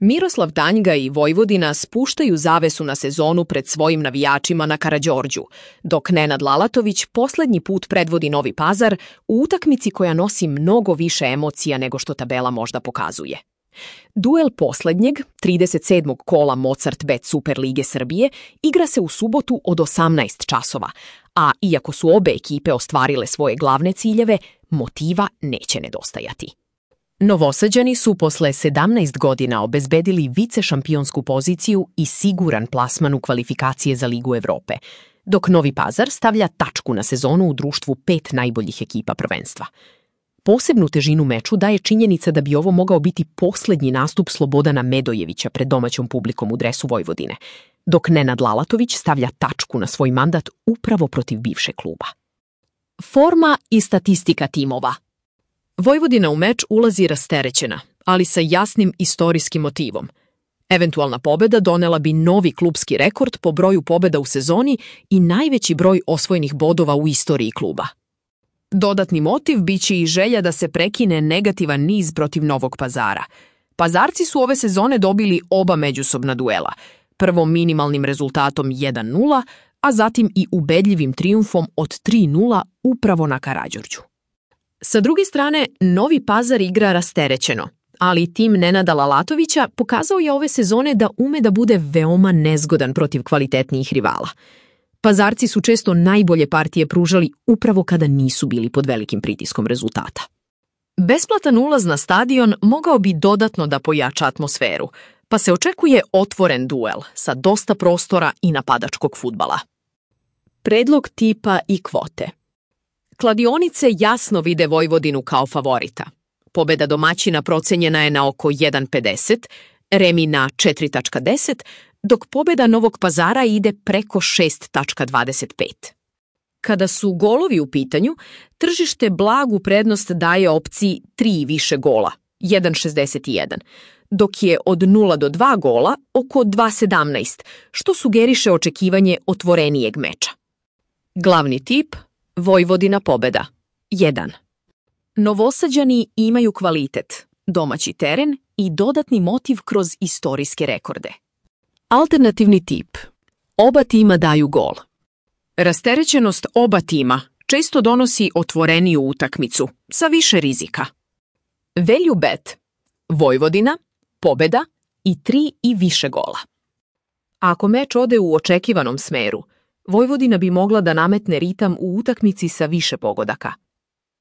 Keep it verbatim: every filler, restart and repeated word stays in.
Miroslav Tanjga i Vojvodina spuštaju zavesu na sezonu pred svojim navijačima na Karađorđu, dok Nenad Lalatović poslednji put predvodi Novi Pazar u utakmici koja nosi mnogo više emocija nego što tabela možda pokazuje. Duel poslednjeg, trideset sedmog kola Mozart Bet Super lige Srbije igra se u subotu od osamnaest časova, a iako su obe ekipe ostvarile svoje glavne ciljeve, motiva neće nedostajati. Novosađani su posle sedamnaest godina obezbedili vicešampionsku poziciju i siguran plasman u kvalifikacije za Ligu Evrope, dok Novi Pazar stavlja tačku na sezonu u društvu pet najboljih ekipa prvenstva. Posebnu težinu meču daje činjenica da bi ovo mogao biti poslednji nastup Slobodana Medojevića pred domaćom publikom u dresu Vojvodine, dok Nenad Lalatović stavlja tačku na svoj mandat upravo protiv bivšeg kluba. Forma i statistika timova. Vojvodina u meč ulazi rasterećena, ali sa jasnim istorijskim motivom. Eventualna pobeda donela bi novi klubski rekord po broju pobeda u sezoni i najveći broj osvojenih bodova u istoriji kluba. Dodatni motiv biće i želja da se prekine negativan niz protiv Novog Pazara. Pazarci su ove sezone dobili oba međusobna duela, prvo minimalnim rezultatom jedan nula, a zatim i ubedljivim trijumfom od tri nula upravo na Karađorđu. Sa druge strane, Novi Pazar igra rasterećeno, ali tim Nenada Lalatovića pokazao je ove sezone da ume da bude veoma nezgodan protiv kvalitetnijih rivala. Pazarci su često najbolje partije pružali upravo kada nisu bili pod velikim pritiskom rezultata. Besplatan ulaz na stadion mogao bi dodatno da pojača atmosferu, pa se očekuje otvoren duel sa dosta prostora i napadačkog fudbala. Predlog tipa i kvote. Kladionice jasno vide Vojvodinu kao favorita. Pobeda domaćina procenjena je na oko jedan pedeset, remi na četiri zarez deset, dok pobeda Novog Pazara ide preko šest zarez dvadeset pet. Kada su golovi u pitanju, tržište blagu prednost daje opciji tri i više gola, jedan zarez šezdeset jedan, dok je od nula do dva gola oko dva zarez sedamnaest, što sugeriše očekivanje otvorenijeg meča. Glavni tip – Vojvodina pobeda. jedan. Novosađani imaju kvalitet, domaći teren i dodatni motiv kroz istorijske rekorde. Alternativni tip. Oba tima daju gol. Rasterećenost oba tima često donosi otvoreniju utakmicu, sa više rizika. Value bet. Vojvodina, pobeda i tri i više gola. Ako meč ode u očekivanom smeru, Vojvodina bi mogla da nametne ritam u utakmici sa više pogodaka.